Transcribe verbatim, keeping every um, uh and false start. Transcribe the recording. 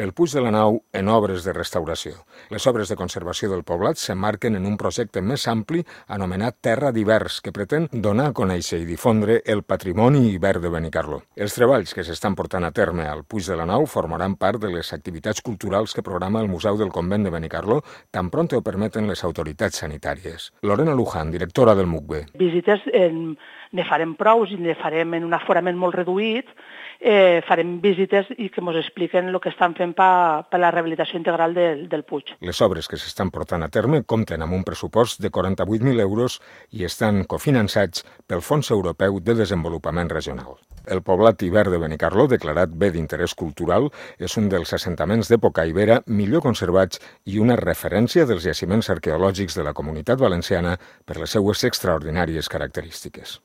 El Puig de la Nau en obres de restauració. Les obres de conservació del poblat s'emmarquen en un projecte més ampli anomenat Terra d'Hivers, que pretén donar a conèixer i difondre el patrimoni hivern de Benicarló. Els treballs que s'estan portant a terme al Puig de la Nau formaran part de les activitats culturals que programa el Museu del Convent de Benicarló, tan pront ho permeten les autoritats sanitàries. Lorena Luján, directora del M U C B. Visites en, ne farem prous i ne farem en un aforament molt reduït, eh, farem visites i que ens expliquen el que estan fent per pa la rehabilitació integral del, del Puig. Les obres que s'estan portant a terme compten amb un pressupost de quaranta-vuit mil euros i estan cofinançats pel Fons Europeu de Desenvolupament Regional. El poblat hivern de Benicarló, declarat bé d'interès cultural, és un dels assentaments d'època ibera millor conservats i una referència dels jaciments arqueològics de la Comunitat Valenciana per les seues extraordinàries característiques.